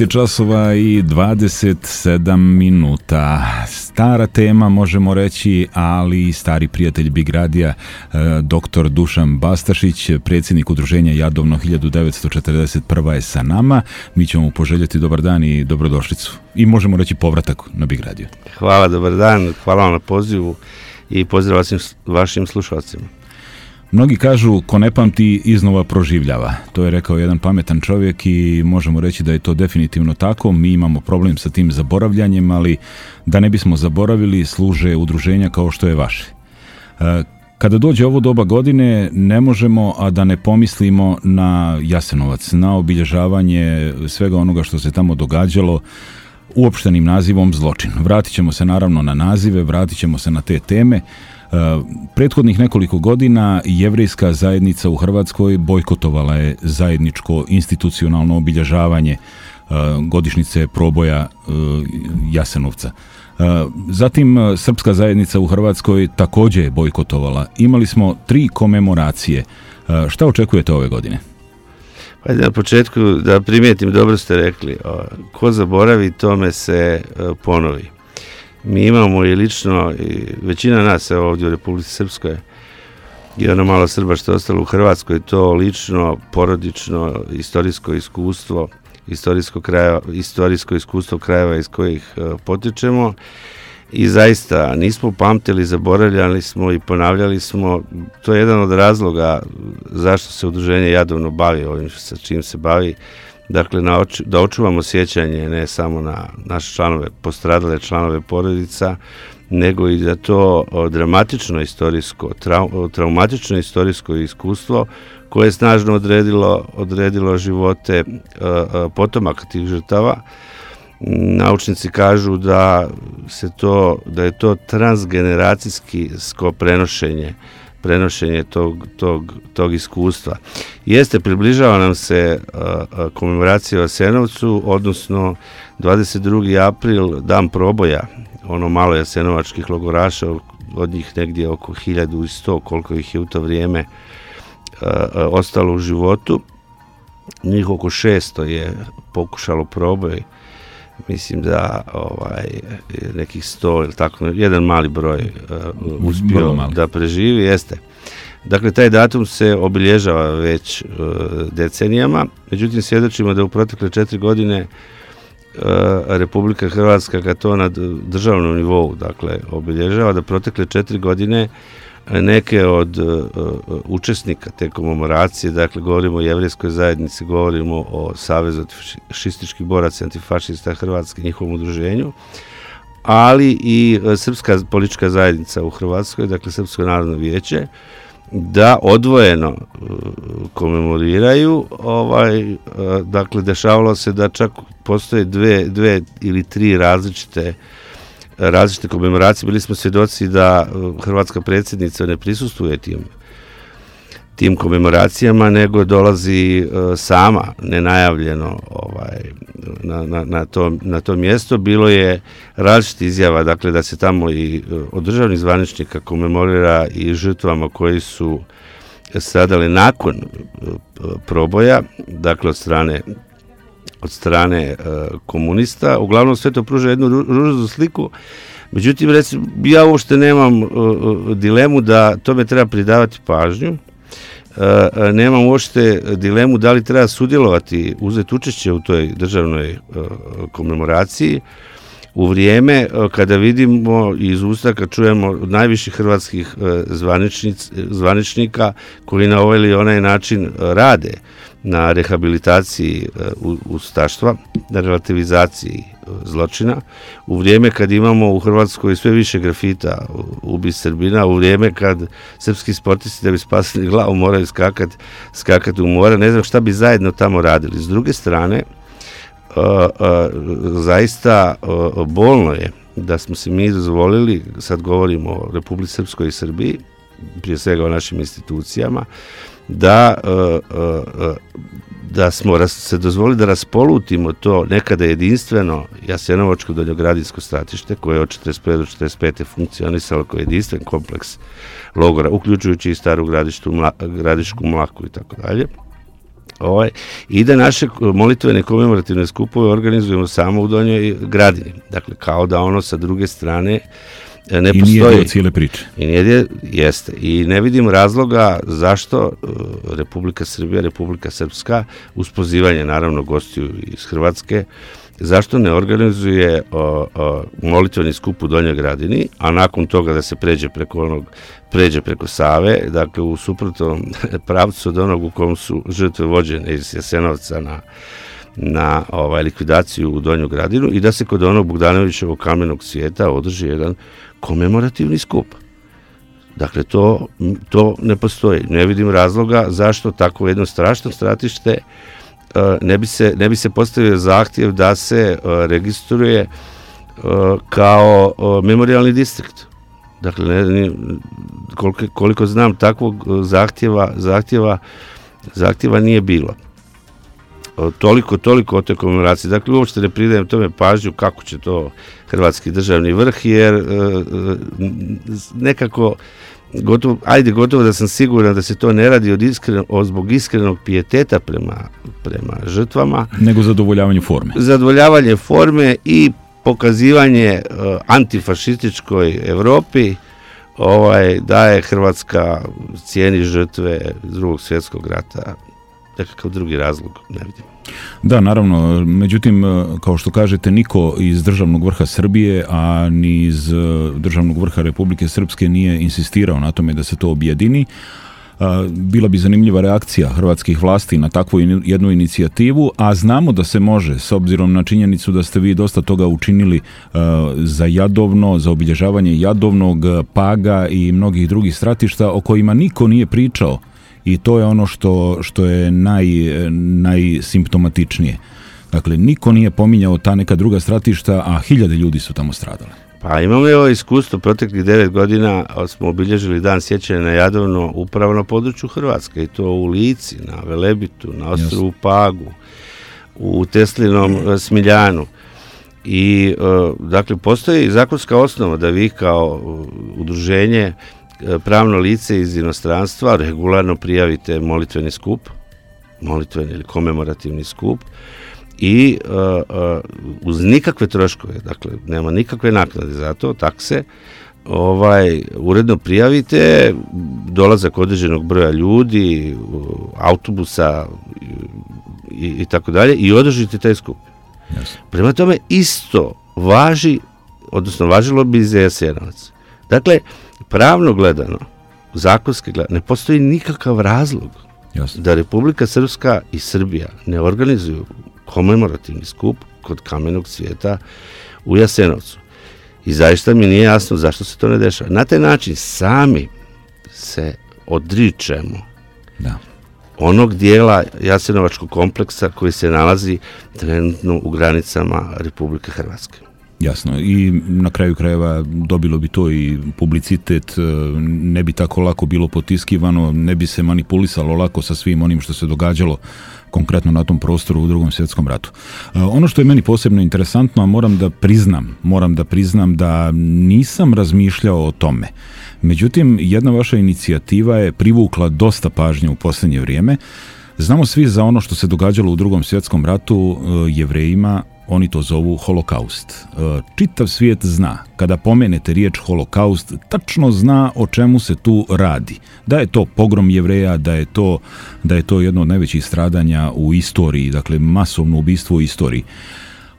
časova i 27 minuta. Stara tema, možemo reći, ali stari prijatelj Big Radija, dr. Dušan Bastašić, predsjednik udruženja Jadovno 1941. je sa nama. Mi ćemo mu poželjeti dobar dan i dobrodošlicu. I možemo reći povratak na Big Radio. Hvala, dobar dan, hvala vam na pozivu i pozdrav vašim slušalcima. Mnogi kažu, ko ne pamti, iznova proživljava. To je rekao jedan pametan čovjek i možemo reći da je to definitivno tako. Mi imamo problem sa tim zaboravljanjem, ali da ne bismo zaboravili, služe udruženja kao što je vaše. Kada dođe ovo doba godine, ne možemo, a da ne pomislimo na Jasenovac, na obilježavanje svega onoga što se tamo događalo, uopštenim nazivom zločin. Vratit ćemo se naravno na nazive, vratit ćemo se na te teme. Prethodnih nekoliko godina jevrejska zajednica u Hrvatskoj bojkotovala je zajedničko institucionalno obilježavanje godišnjice proboja Jasenovca. Zatim srpska zajednica u Hrvatskoj također je bojkotovala. Imali smo 3 komemoracije. Šta očekujete ove godine? Hajde na početku da primijetim, dobro ste rekli, ko zaboravi tome se ponovi. Mi imamo i lično, i većina nas ovdje u Republici Srpskoj i ono malo Srba što je ostalo u Hrvatskoj, to lično, porodično, istorijsko iskustvo, istorijsko iskustvo krajeva iz kojih potičemo i zaista nismo pamtili, zaboravljali smo i ponavljali smo. To je jedan od razloga zašto se udruženje Jadovno bavi ovim sa čim se bavi. Dakle, da očuvamo sjećanje ne samo na naše članove, postradale članove porodica, nego i da to dramatično istorijsko, traumatično istorijsko iskustvo koje je snažno odredilo živote potomaka tih žrtava. Naučnici kažu da je to transgeneracijsko prenošenje tog iskustva. Približava nam se komemoracija u Jasenovcu, odnosno 22. april, dan proboja, ono malo jasenovačkih logoraša, od njih negdje oko 1100, koliko ih je u to vrijeme ostalo u životu. Njih oko 600 je pokušalo proboj, mislim da nekih 100 ili tako, jedan mali broj uspio da preživi, jeste. Dakle, taj datum se obilježava već decenijama, međutim svjedočimo da u protekle 4 godine Republika Hrvatska, kad to na državnom nivou, dakle, obilježava, da protekle 4 godine neke od učesnika te komemoracije, dakle govorimo o jevrejskoj zajednici, govorimo o Savezu fašističkih boraca antifašista Hrvatske, njihovom udruženju, ali i Srpska politička zajednica u Hrvatskoj, dakle Srpsko narodno vijeće, da odvojeno komemoriraju. Dakle, dešavalo se da čak postoje 2 ili 3 različite komemoracije. Bili smo svjedoci da hrvatska predsjednica ne prisustvuje tim komemoracijama, nego dolazi sama, nenajavljeno na to mjesto. Bilo je različitih izjava, dakle da se tamo i od državnih zvaničnika komemorira i žrtvama koji su stradali nakon proboja, dakle od strane komunista. Uglavnom sve to pruža jednu ružnu sliku. Međutim, recimo, ja uopšte nemam dilemu da tome treba pridavati pažnju. Nemam uopšte dilemu da li treba sudjelovati, uzeti učešće u toj državnoj komemoraciji u vrijeme kada vidimo iz usta, kad čujemo od najviših hrvatskih zvaničnika koji na ovaj ili onaj način rade na rehabilitaciji ustaštva, na relativizaciji zločina, u vrijeme kad imamo u Hrvatskoj sve više grafita ubi Srbina, u vrijeme kad srpski sportisti da bi spasili glavu moraju skakati u more, ne znam šta bi zajedno tamo radili. S druge strane, zaista bolno je da smo se mi dozvolili, sad govorimo o Republici Srpskoj i Srbiji, prije svega o našim institucijama, da smo se dozvolili da raspolutimo to nekada jedinstveno jasenovačko donjogradinsko stratište koje je od 1941. do 1945. funkcionisalo kao jedinstven kompleks logora, uključujući i Staru Gradišku, Mlaku i tako dalje. I da naše molitvene komemorativne skupove organizujemo samo u Donjoj Gradini. Dakle, kao da ono sa druge strane ne postoji. I nije dio cijele priče. Jeste. I ne vidim razloga zašto Republika Srbija, Republika Srpska, uz pozivanje naravno gostiju iz Hrvatske, zašto ne organizuje molitveni skup u Donjoj Gradini, a nakon toga da se pređe preko Save, dakle u suprotnom pravcu od onog u kom su žrtve vođene iz Jasenovca na likvidaciju u Donju Gradinu i da se kod onog Bogdanovićevog kamenog svijeta održi jedan komemorativni skup. Dakle, to ne postoji. Ne vidim razloga zašto tako jedno strašno stratište ne bi se postavio zahtjev da se registruje kao memorijalni distrikt. Dakle, koliko znam, takvog zahtjeva nije bilo. Toliko o toj komemoraciji. Dakle, uopšte ne pridajem tome pažnju kako će to hrvatski državni vrh, jer nekako gotovo da sam siguran da se to ne radi zbog iskrenog pijeteta prema žrtvama. Nego zadovoljavanje forme. Zadovoljavanje forme i pokazivanje antifašističkoj Evropi da je Hrvatska cijeni žrtve Drugog svjetskog rata. Nekakav drugi razlog ne vidim. Da, naravno, međutim, kao što kažete, niko iz državnog vrha Srbije, a ni iz državnog vrha Republike Srpske nije insistirao na tome da se to objedini. Bila bi zanimljiva reakcija hrvatskih vlasti na takvu jednu inicijativu, a znamo da se može, s obzirom na činjenicu da ste vi dosta toga učinili za Jadovno, za obilježavanje Jadovnog, Paga i mnogih drugih stratišta o kojima niko nije pričao. I to je ono što je najsimptomatičnije. Dakle, niko nije pominjao ta neka druga stratišta, a 1000 ljudi su tamo stradale. Pa imamo ovo iskustvo, proteklih 9 godina smo obilježili dan sjećanja na Jadovno upravo na području Hrvatske, i to u Lici, na Velebitu, na ostrvu Pagu, u Teslinom Smiljanu. I dakle, postoji zakonska osnova da vi kao udruženje, pravno lice iz inostranstva, regularno prijavite molitveni skup, molitveni ili komemorativni skup, i uz nikakve troškove, dakle nema nikakve naknade za to, takse, uredno prijavite dolazak određenog broja ljudi, autobusa i tako dalje, i održite taj skup. Yes. Prema tome isto važilo bi za Jasenovac. Dakle, pravno gledano, zakonski gledano, ne postoji nikakav razlog da Republika Srpska i Srbija ne organizuju komemorativni skup kod kamenog svijeta u Jasenovcu. I zaista mi nije jasno zašto se to ne dešava. Na taj način sami se odričemo onog dijela jasenovačkog kompleksa koji se nalazi trenutno u granicama Republike Hrvatske. Jasno, i na kraju krajeva dobilo bi to i publicitet, ne bi tako lako bilo potiskivano, ne bi se manipulisalo lako sa svim onim što se događalo konkretno na tom prostoru u Drugom svjetskom ratu. Ono što je meni posebno interesantno, a moram da priznam da nisam razmišljao o tome. Međutim, jedna vaša inicijativa je privukla dosta pažnje u posljednje vrijeme. Znamo svi za ono što se događalo u Drugom svjetskom ratu Jevrejima. Oni to zovu holokaust. Čitav svijet zna, kada pomenete riječ holokaust, tačno zna o čemu se tu radi. Da je to pogrom Jevreja, da je to jedno od najvećih stradanja u istoriji, dakle masovno ubistvo u istoriji.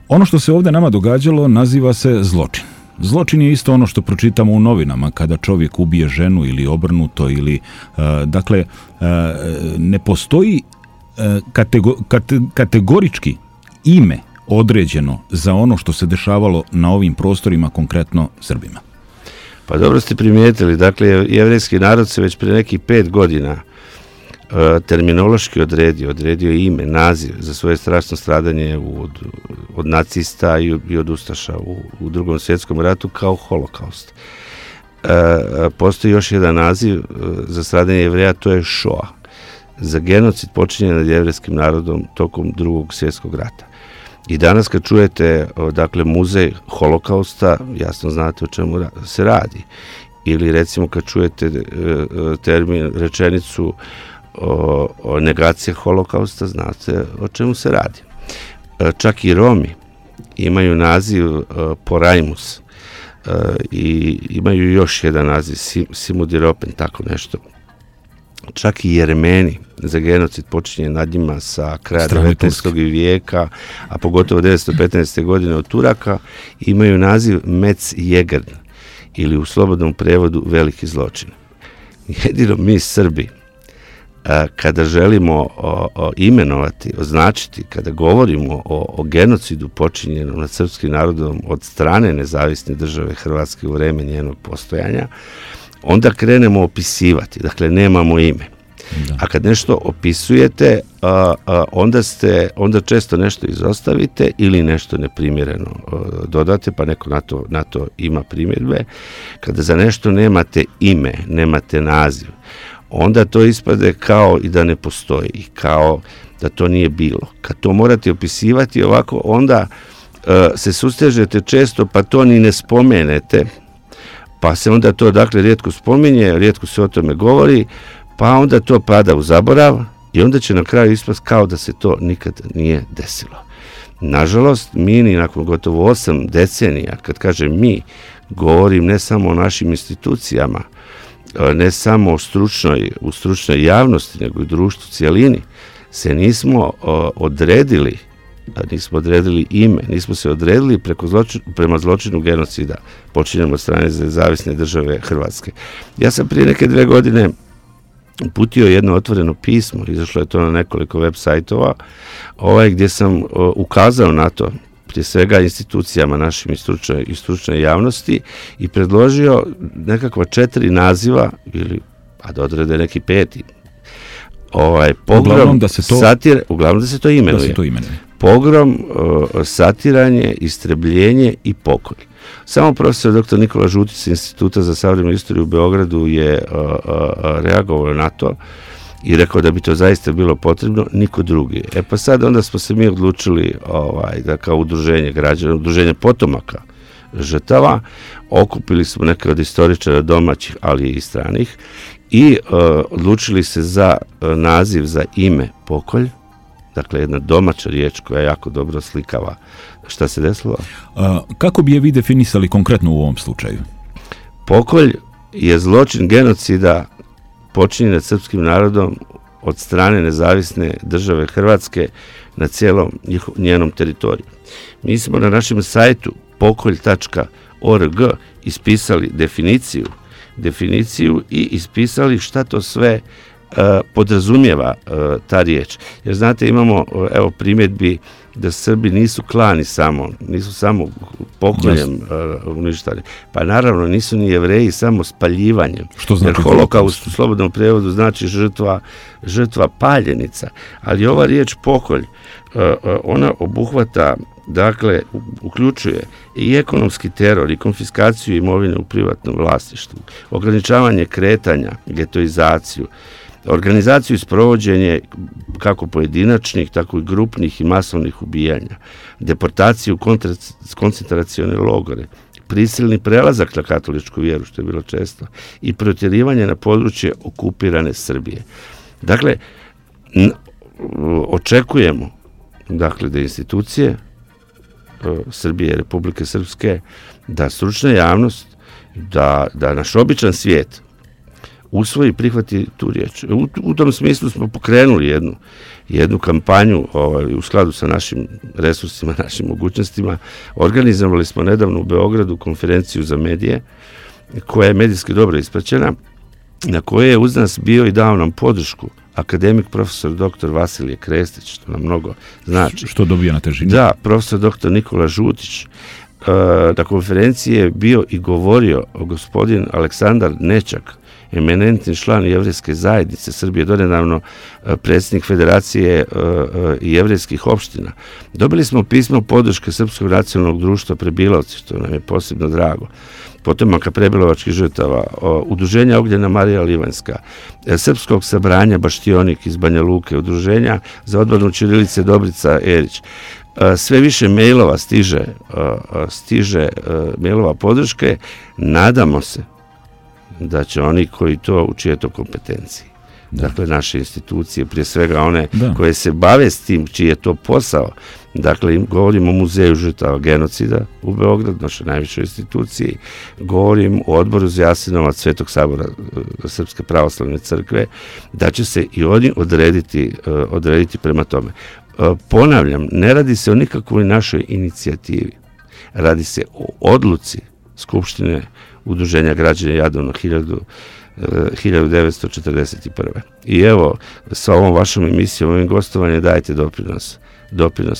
Ono što se ovdje nama događalo naziva se zločin. Zločin je isto ono što pročitamo u novinama kada čovjek ubije ženu ili obrnuto, ili dakle ne postoji kategorički ime određeno za ono što se dešavalo na ovim prostorima, konkretno Srbima. Pa dobro ste primijetili, dakle jevrejski narod se već prije nekih 5 godina terminološki odredio ime, naziv za svoje strašno stradanje od nacista i od ustaša u Drugom svjetskom ratu kao holokaust. postoji još jedan naziv za stradanje Jevreja, to je Shoah, za genocid počinjen nad jevrejskim narodom tokom Drugog svjetskog rata. I danas kad čujete, dakle, muzej holokausta, jasno znate o čemu se radi. Ili recimo kad čujete rečenicu o negaciji holokausta, znate o čemu se radi. Čak i Romi imaju naziv Porajmus i imaju još jedan naziv Simudiropen, tako nešto. Čak i Jermeni za genocid počinjen nad njima sa kraja 19. vijeka, a pogotovo 1915. godine od Turaka, imaju naziv Metz-Jegern, ili u slobodnom prevodu veliki zločin. Jedino mi Srbi, kada želimo imenovati, označiti, kada govorimo o genocidu počinjenom nad srpskim narodom od strane nezavisne države Hrvatske u vreme njenog postojanja, onda krenemo opisivati, dakle nemamo ime. Da. A kad nešto opisujete, onda često nešto izostavite ili nešto neprimjereno dodate, pa neko na to ima primjedbe. Kada za nešto nemate ime, nemate naziv, onda to ispade kao i da ne postoji, kao da to nije bilo. Kad to morate opisivati ovako, onda se sustežete često, pa to ni ne spomenete, pa se onda to, dakle, rijetko spominje, rijetko se o tome govori, pa onda to pada u zaborav i onda će na kraju ispast kao da se to nikad nije desilo. Nažalost, mi ni nakon gotovo 8 decenija, kad kažem mi, govorim ne samo o našim institucijama, ne samo u stručnoj javnosti, nego i društvu cijelini, se nismo odredili ime, nismo se odredili prema zločinu genocida počinjen od strane nezavisne države Hrvatske. Ja sam prije neke 2 godine uputio jedno otvoreno pismo, izašlo je to na nekoliko web sajtova, gdje sam ukazao na to, prije svega institucijama našim i stručnoj javnosti, i predložio nekakva 4 naziva, ili da odrede neki 5. Pogrom, uglavnom da se to imenuje. Pogrom, satiranje, istrebljenje i pokolj. Samo profesor dr. Nikola Žutić sa Instituta za savremenu istoriju u Beogradu je reagovao na to i rekao da bi to zaista bilo potrebno, niko drugi. Pa sad onda smo se mi odlučili da kao udruženje građana, udruženje potomaka žrtava, okupili smo neke od istoričara domaćih, ali i stranih, i odlučili se za naziv, za ime pokolj, dakle jedna domaća riječ koja jako dobro slikava šta se desilo. Kako bi je vi definisali konkretno u ovom slučaju? Pokolj je zločin genocida počinjen nad srpskim narodom od strane nezavisne države Hrvatske na cijelom njenom teritoriju. Mi smo na našem sajtu pokolj.org ispisali definiciju i ispisali šta to sve podrazumijeva ta riječ. Jer znate, imamo primjedbi da Srbi nisu klani nisu samo pokoljem uništali. Pa naravno nisu ni Jevreji samo spaljivanjem. Što znači? Jer holokaust u slobodnom prijevodu znači žrtva paljenica. Ali ova riječ pokolj, ona obuhvata, dakle, uključuje i ekonomski teror i konfiskaciju imovine u privatnom vlasništvu, ograničavanje kretanja, getoizaciju, organizaciju i sprovođenje kako pojedinačnih, tako i grupnih i masovnih ubijanja, deportaciju, koncentracione logore, prisilni prelazak na katoličku vjeru, što je bilo često, i protjerivanje na područje okupirane Srbije. Dakle, očekujemo, dakle, da institucije Srbije, Republike Srpske, da stručna javnost, da naš običan svijet usvoji i prihvati tu riječ. U tom smislu smo pokrenuli jednu kampanju u skladu sa našim resursima, našim mogućnostima. Organizovali smo nedavno u Beogradu konferenciju za medije, koja je medijski dobro ispraćena, na kojoj je uz nas bio i dao nam podršku akademik profesor dr. Vasilije Krestić, što nam mnogo znači. Što dobija na težini? Da, profesor dr. Nikola Žutić. Na konferenciji je bio i govorio gospodin Aleksandar Nečak, eminentni član jevrejske zajednice Srbije, donedavno predsjednik Federacije jevrejskih opština. Dobili smo pismo podrške Srpskog nacionalnog društva Prebilovci, što nam je posebno drago, potomaka prebilovačkih žrtava, Udruženja Ogljena Marija Livanjska, Srpskog sabranja Baštionik iz Banja Luke, Udruženja za odbranu ćirilice Dobrica Erić. Sve više mailova stiže mailova podrške. Nadamo se da će oni koji to u čije to kompetenciji, dakle naše institucije, prije svega one koje se bave s tim, čiji je to posao, dakle govorim o Muzeju žrtava genocida u Beogradu, našoj najvišoj instituciji, govorim o Odboru za Jasenovac Svetog sabora Srpske pravoslavne crkve, da će se i oni odrediti prema tome. Ponavljam, ne radi se o nikakvoj našoj inicijativi, radi se o odluci Skupštine Udruženja građana Jadovno 1941. I evo, sa ovom vašom emisijom, ovim gostovanjem dajete doprinos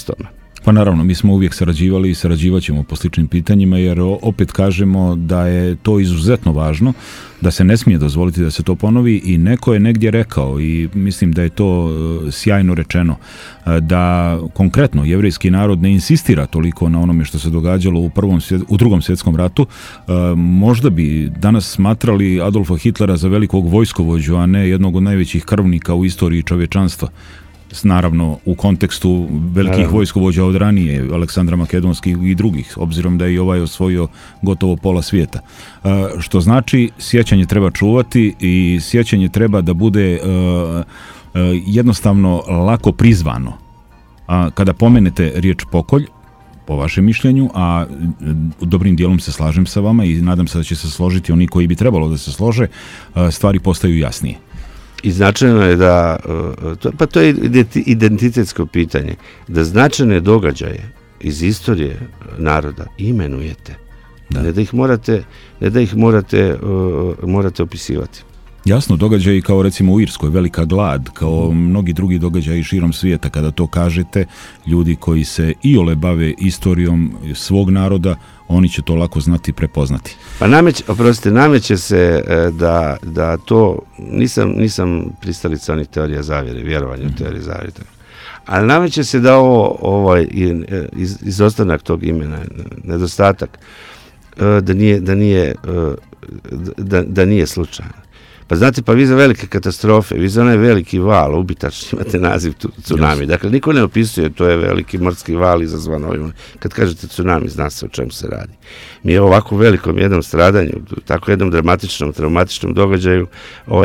tome. Pa naravno, mi smo uvijek sarađivali i sarađivat ćemo po sličnim pitanjima, jer opet kažemo da je to izuzetno važno, da se ne smije dozvoliti da se to ponovi i neko je negdje rekao i mislim da je to sjajno rečeno, da konkretno jevrejski narod ne insistira toliko na onome što se događalo u Drugom svjetskom ratu. Možda bi danas smatrali Adolfa Hitlera za velikog vojskovođu, a ne jednog od najvećih krvnika u istoriji čovječanstva. Naravno u kontekstu velikih vojskovođa od ranije, Aleksandra Makedonskih i drugih, obzirom da je i ovaj osvojio gotovo pola svijeta. Što znači, sjećanje treba čuvati i sjećanje treba da bude jednostavno lako prizvano. Kada pomenete riječ pokolj, po vašem mišljenju, a dobrim dijelom se slažem sa vama i nadam se da će se složiti oni koji bi trebalo da se slože, stvari postaju jasnije. I značajno je da, pa to je identitetsko pitanje, da značajne događaje iz istorije naroda imenujete, ne da ih morate opisivati. Jasno, događaji kao recimo u Irskoj, velika glad, kao mnogi drugi događaji širom svijeta, kada to kažete, ljudi koji se iole bave istorijom svog naroda, oni će to lako znati i prepoznati. Pa nameće se da to, nisam pristalica onih teorija zavjere, vjerovanja u teorije zavjere, ali nameće se da izostanak tog imena, nedostatak, da nije slučajno. Pa znate, pa vi za velike katastrofe, vi za onaj veliki val, ubitačni, imate naziv tsunami. Dakle, niko ne opisuje, to je veliki morski val izazvan ovim. Kad kažete tsunami, zna se o čemu se radi. Mi ovako velikom jednom stradanju, tako jednom dramatičnom, traumatičnom događaju,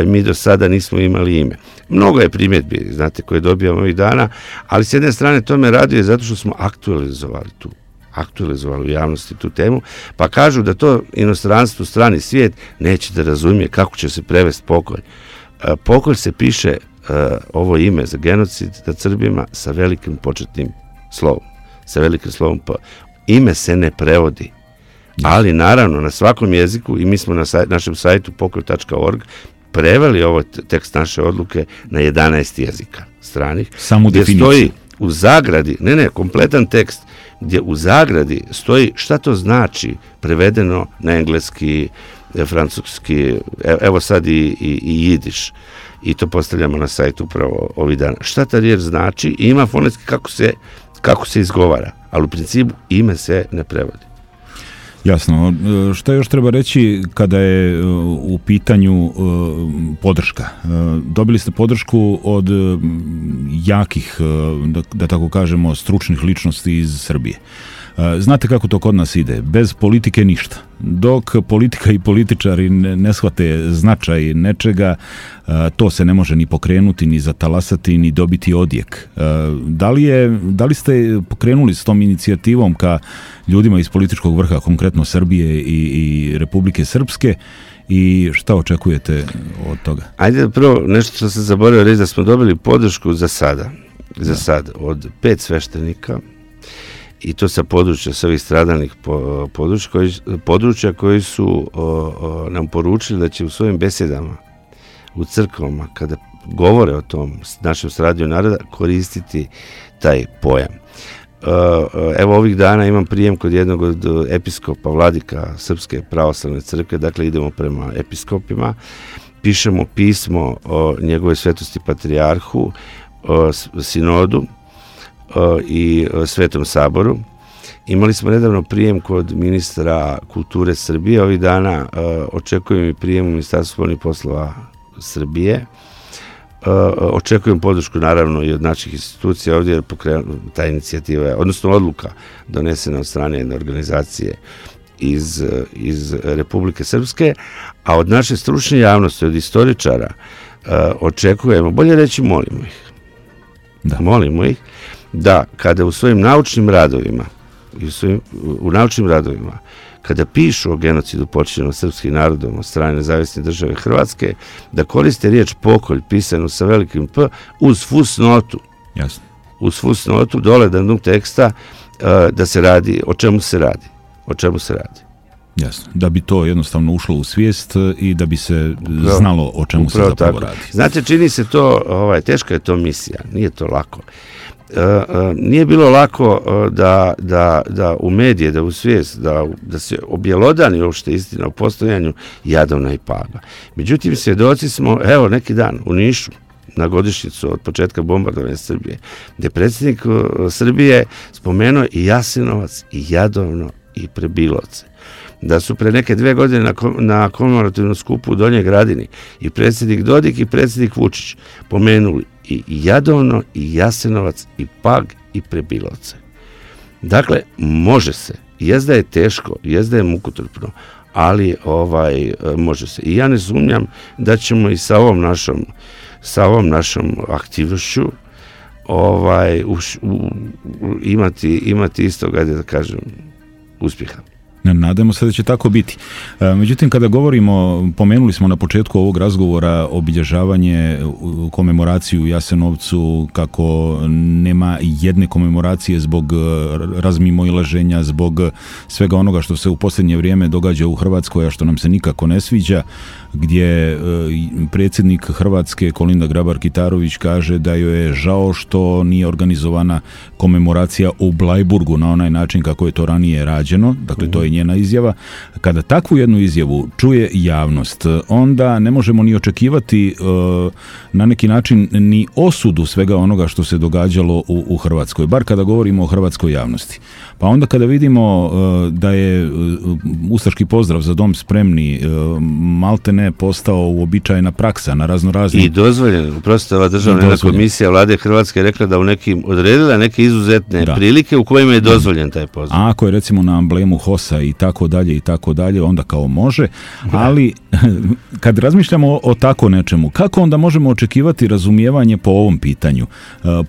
mi do sada nismo imali ime. Mnogo je primjedbi, znate, koje dobijamo ovih dana, ali s jedne strane to me raduje zato što smo aktualizovali u javnosti tu temu, pa kažu da to inostranstvo, strani svijet neće da razumije kako će se prevesti pokolj. Pokolj se piše, ovo ime za genocid nad Srbima, sa velikim početnim slovom. Sa velikim slovom P. Ime se ne prevodi, ali naravno na svakom jeziku, i mi smo na našem sajtu pokolj.org preveli ovo tekst naše odluke na 11 jezika stranih. Samo definiciju. Stoji u zagradi, kompletan tekst, gdje u zagradi stoji šta to znači prevedeno na engleski, francuski, evo sad i jidiš. I to postavljamo na sajtu upravo ovih dana. Šta ta riječ znači i ima fonetski kako se izgovara, ali u principu ime se ne prevodi. Jasno. Šta još treba reći kada je u pitanju podrška? Dobili ste podršku od jakih, da tako kažemo, stručnih ličnosti iz Srbije. Znate kako to kod nas ide? Bez politike ništa. Dok politika i političari ne shvate značaj nečega, to se ne može ni pokrenuti, ni zatalasati, ni dobiti odjek. Da li ste pokrenuli s tom inicijativom ka ljudima iz političkog vrha, konkretno Srbije i Republike Srpske, i šta očekujete od toga? Ajde prvo, nešto što sam zaboravio reći, da smo dobili podršku za sada od 5 sveštenika, i to sa područja, sa ovih stradalnih područja koji su nam poručili da će u svojim besedama u crkvama, kada govore o tom našem stradanju naroda, koristiti taj pojam. Evo ovih dana imam prijem kod jednog od episkopa, vladika Srpske pravoslavne crkve, dakle idemo prema episkopima, pišemo pismo o njegove svetosti patrijarhu, sinodu i Svetom saboru. Imali smo nedavno prijem kod ministra kulture Srbije, ovih dana očekujem i prijem u Ministarstvu spoljnih poslova Srbije. Očekujem podršku naravno i od naših institucija ovdje, jer ta inicijativa je, odnosno odluka donesena od strane jedne organizacije iz Republike Srpske, a od naše stručne javnosti, od istoričara očekujemo, bolje reći molimo ih, molimo ih da kada u svojim naučnim radovima kada pišu o genocidu počinjenom srpskim narodom od strane Nezavisne države Hrvatske, da koriste riječ pokolj pisanu sa velikim P uz fusnotu. Jasno. Uz fusnotu dole na dnu teksta da se radi, o čemu se radi. Jasno, da bi to jednostavno ušlo u svijest i da bi se znalo o čemu se zapravo radi. Znate, čini se to, teška je to misija, nije to lako. Nije bilo lako da u medije, da u svijest, da se objelodani uopšte istina o postojanju Jadovna i Paga. Međutim, svjedoci smo, evo neki dan u Nišu, na godišnjicu od početka bombardovanja Srbije, gdje predsjednik Srbije spomenuo i Jasenovac, i Jadovno, i Prebilovce. Da su pre neke 2 godine na komemorativnom skupu u Donjoj Gradini i predsjednik Dodik i predsjednik Vučić pomenuli i Jadovno, i Jasenovac, i Pag, i Prebilovce. Dakle, može se. Jezda je teško, jezda je mukotrpno, ali može se. I ja ne sumnjam da ćemo i sa ovom našom aktivnošću imati istoga, da kažem, uspjeha. Nadamo se da će tako biti. Međutim, kada govorimo, pomenuli smo na početku ovog razgovora obilježavanje, komemoraciju u Jasenovcu, kako nema jedne komemoracije zbog razmimoilaženja, zbog svega onoga što se u posljednje vrijeme događa u Hrvatskoj, a što nam se nikako ne sviđa, gdje predsjednik Hrvatske Kolinda Grabar-Kitarović kaže da joj je žao što nije organizovana komemoracija u Blajburgu na onaj način kako je to ranije rađeno. Dakle, to je njena izjava. Kada takvu jednu izjavu čuje javnost, onda ne možemo ni očekivati na neki način ni osudu svega onoga što se događalo u Hrvatskoj, bar kada govorimo o hrvatskoj javnosti. Pa onda kada vidimo da je ustaški pozdrav Za dom spremni maltene postao uobičajena praksa na raznoraznim... I dozvoljeno. Prosto ova državna komisija Vlade Hrvatske rekla da odredila neke izuzetne prilike u kojima je dozvoljen taj pozdrav. A ako je recimo na amblemu HOS-a i tako dalje, onda kao može, ali kad razmišljamo o tako nečemu, kako onda možemo očekivati razumijevanje po ovom pitanju?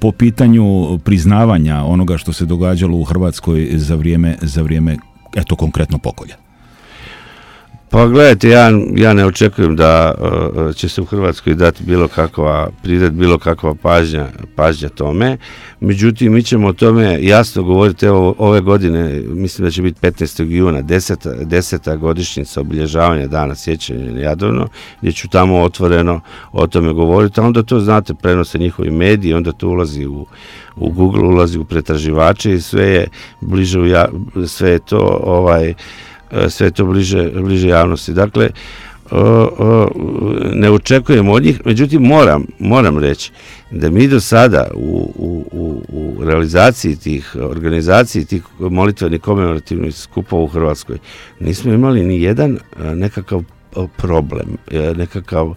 Po pitanju priznavanja onoga što se događalo u Hrvatskoj za vrijeme eto konkretno pokolja? Pa gledajte, ja ne očekujem da će se u Hrvatskoj dati bilo kakva pažnja tome. Međutim, mi ćemo o tome jasno govoriti. Evo, ove godine, mislim da će biti 15. juna, 10. godišnjica obilježavanja dana sjećanja na Jadovno, gdje ću tamo otvoreno o tome govoriti, a onda to, znate, prenose njihovi mediji, onda to ulazi u Google, ulazi u pretraživače i sve je to bliže javnosti. Dakle, ne očekujem od njih, međutim moram reći da mi do sada u realizaciji tih organizaciji, tih molitvenih komemorativnih skupova u Hrvatskoj nismo imali ni jedan nekakav problem, nekakav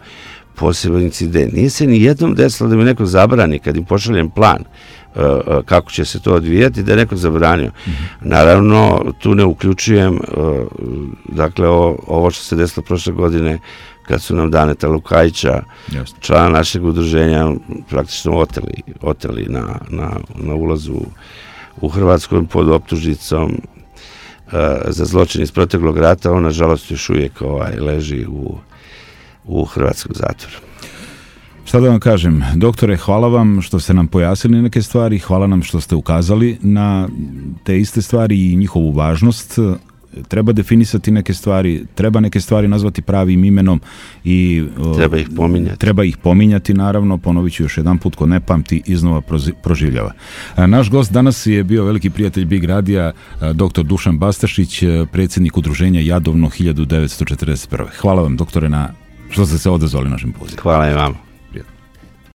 poseban incident. Nije se ni jednom desilo da mi neko zabrani kad im pošaljem plan kako će se to odvijati, da je neko zabranio. Naravno, tu ne uključujem dakle ovo što se desilo prošle godine kad su nam Daneta Lukajića, člana našeg udruženja, praktično oteli na ulazu u Hrvatskoj pod optužnicom za zločin iz proteklog rata. On, nažalost, još uvijek leži u hrvatskom zatvoru. Šta da vam kažem, doktore, hvala vam što ste nam pojasnili neke stvari, hvala nam što ste ukazali na te iste stvari i njihovu važnost. Treba definisati neke stvari, treba neke stvari nazvati pravim imenom i treba ih pominjati, naravno. Ponovit ću još jedan put, ko ne pamti iznova proživljava. Naš gost danas je bio veliki prijatelj Big Radija, dr. Dušan Bastašić, predsjednik udruženja Jadovno 1941. Hvala vam, doktore, na što ste se odazvali našem pozivu. Hvala i vama.